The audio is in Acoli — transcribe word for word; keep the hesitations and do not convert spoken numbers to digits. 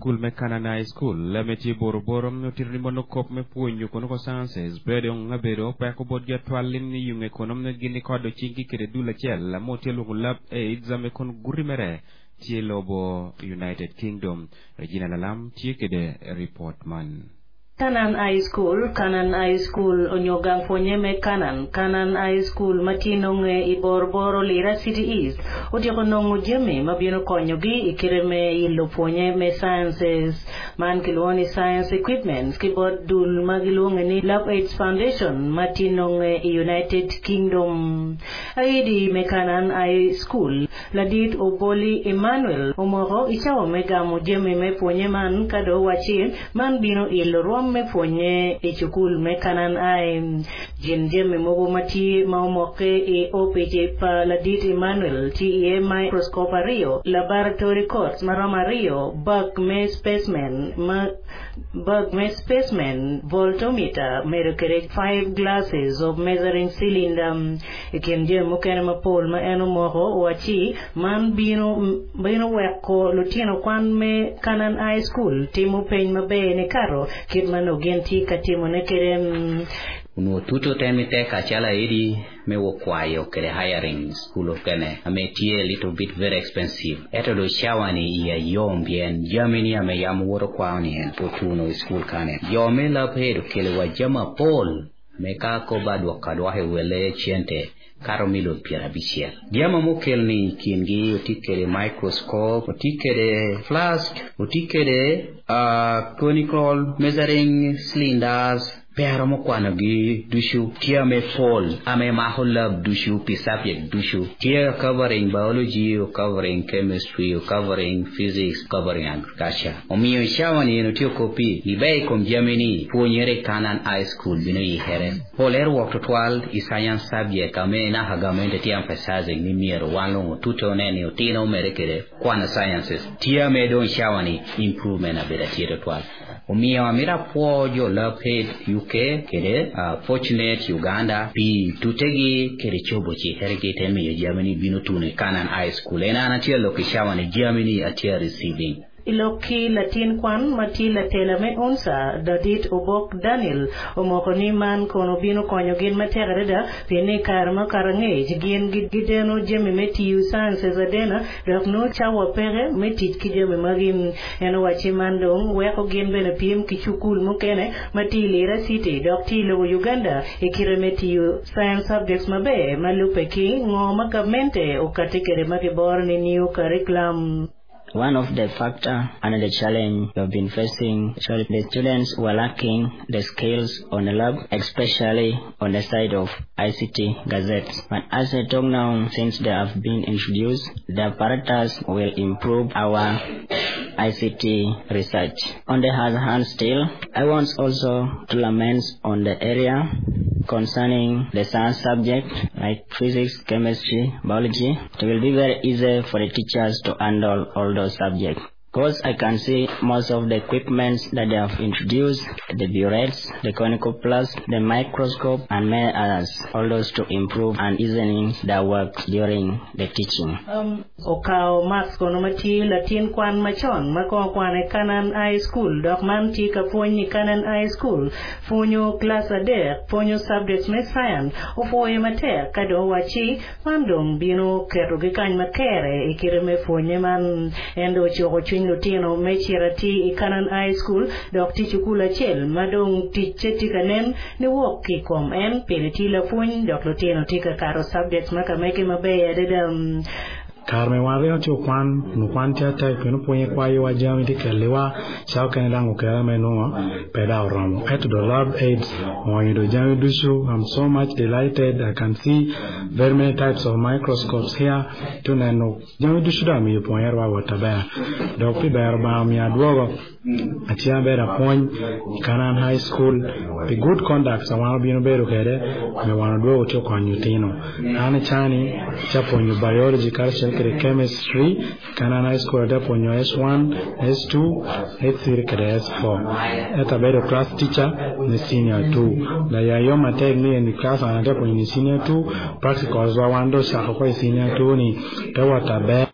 Cukul me Canaan High School me tye Boroboro otito ni mono kop me pwonyo kono ko sciences pe dong abedo peko bot gi atwal ni yunge kono gin kodo cinggi kede dul acel mo tye luongo Lab AIDS ame kono guri mere tye lobo United Kingdom. Regina Lalam tye kede report man. Canaan High School, Canaan High School onyo gang pwonye me Canaan, Canaan High School ma tye nonge i Boroboro Lira City East otyeko nongo jami ma bino konyogi i kite me ilo pwonye me sciences man kilwongo ni science equipments ki bot dul ma giluonge ni Lab AIDS Foundation ma tye nonge i United Kingdom. Aidi me Canaan High School ladit Oboli Emmanuel omoko i cawa me gamo jami me pwonye man ka do waci man bino ilo rwom me pwonye i cukul me Canaan High. Gin jami mogo ma tye ma omoke i opic pa ladit Emmanuel tye iye microscope aryo, laboratory coats maromo aryo, bag me specimen ma bag me specimen, voltometer, medo kede five glasses of measuring cylinder. I kin jami mukene mapol ma en omoko owaci man bino bino weko lutino kwan me Canaan High School timo peny maber ni kato kit ma nongo gin tye ka timone kede. Onongo tuto temi tek acalo edi me wokwayo kede hiring school okene ame tye a little bit very expensive. Eto do cawa ni iya yom pien jami ni ame yam woto kwao ni en potuno i school kane. Jo me Lab Aid okelo wa jami mapol me ka ko ba dwoko adwoka i wele cente kato milion piero abicel. Jami mokel ni kingi oti kede microscope, oti kede flask, oti kede uh, conical measuring cylinders, pero mokwanogi ducu tye ame pol ame mako lab ducu pi subject ducu tye covering biology, covering chemistry, covering physics, covering agriculture. Omiyo cawa ni en otio kopi ibe i kom jami ni pwonyere Canaan High School bino yikere. Pol er wok tutwal i science subject ame naka gamente tye emphasizing ni myero wan longo tuto ne ni otino mere kede kwano sciences. Tye ame dong cawa ni improvement abedo tye tutwal. Omiyo amira pwo jo Lab Aid U K kede uh, Fortunate Uganda pi tutegi kede chobo chihergi te miyo jami ni bino tuno i Canaan High School. En an atye lok i cawa ni jami ni atye receiving. Ilok ki latin kwan ma tye latela me UNSA Dadit Obok Daniel omoko ni man kono bino konyo gin matek adada pien ni kare ma kare angec gin gideno jami me tiyo sciences adena dok nongo cawa peke me tic ki jami magi. En owaci man dong weko gin bene piem ki cukul mukene ma tye i Lira City dok tye i lobo Uganda i kite me tiyo science subjects maber ma lube ki ngo ma gamente okati kede ma giboro ni new curriculum. One of the factor and the challenge we have been facing, actually the students were lacking the skills on the lab, especially on the side of I C T gazettes. But as I talk now, since they have been introduced, the apparatus will improve our I C T research. On the other hand still, I want also to lament on the area concerning the science subject like physics, chemistry, biology. It will be very easy for the teachers to handle all those subjects. Because I can see most of the equipments that they have introduced, the burettes, the conical plus, the microscope, and many others, all those to improve and easening their work during the teaching. Um, okao Max kono ma tye latin kwan macon ma kono kwano i Canaan High School dok man tye ka pwony i Canaan High School pwonyo klas adek pwonyo subjects me science opwoyo matek ka dong owaci man dong bino ketogi kany makere i kite me pwonye man en dong ocuko cwiny lutino me cito atir i Canaan High School dok tye cukul acel ma dong ticce tye ka nen ni wok ki i kom en pien tye lapwony dok lutino tye ka kato subjects ma ka mege maber adada. Kare me wan ringo tye kwan nu kwan tye atek pien opwonye kwayowa jami tye keliwa cawa kene dang okere me nongo pe da oromo ento do Lab Aids oonyo do jami ducu. I'm so much delighted. I can see very many types of microscopes here tu neno jami ducu do amiyo pwonyerwa wot aber dok pi bero Obanga omiyo adwogo acel abedo apwony i Canaan High School pi good conduct a wan obino bedo kede me wan odwogo tye okonyo lutino an icani ca pwonyo biology karacel kede chemistry Canaan High School ate pwonyo S one, S two, S three kede S four ento abedo class teacher me senior two laya yo matek ni en class an ate pwonyo ni senior two practicals wa wan do ocako ko i senior two ni te wot aber.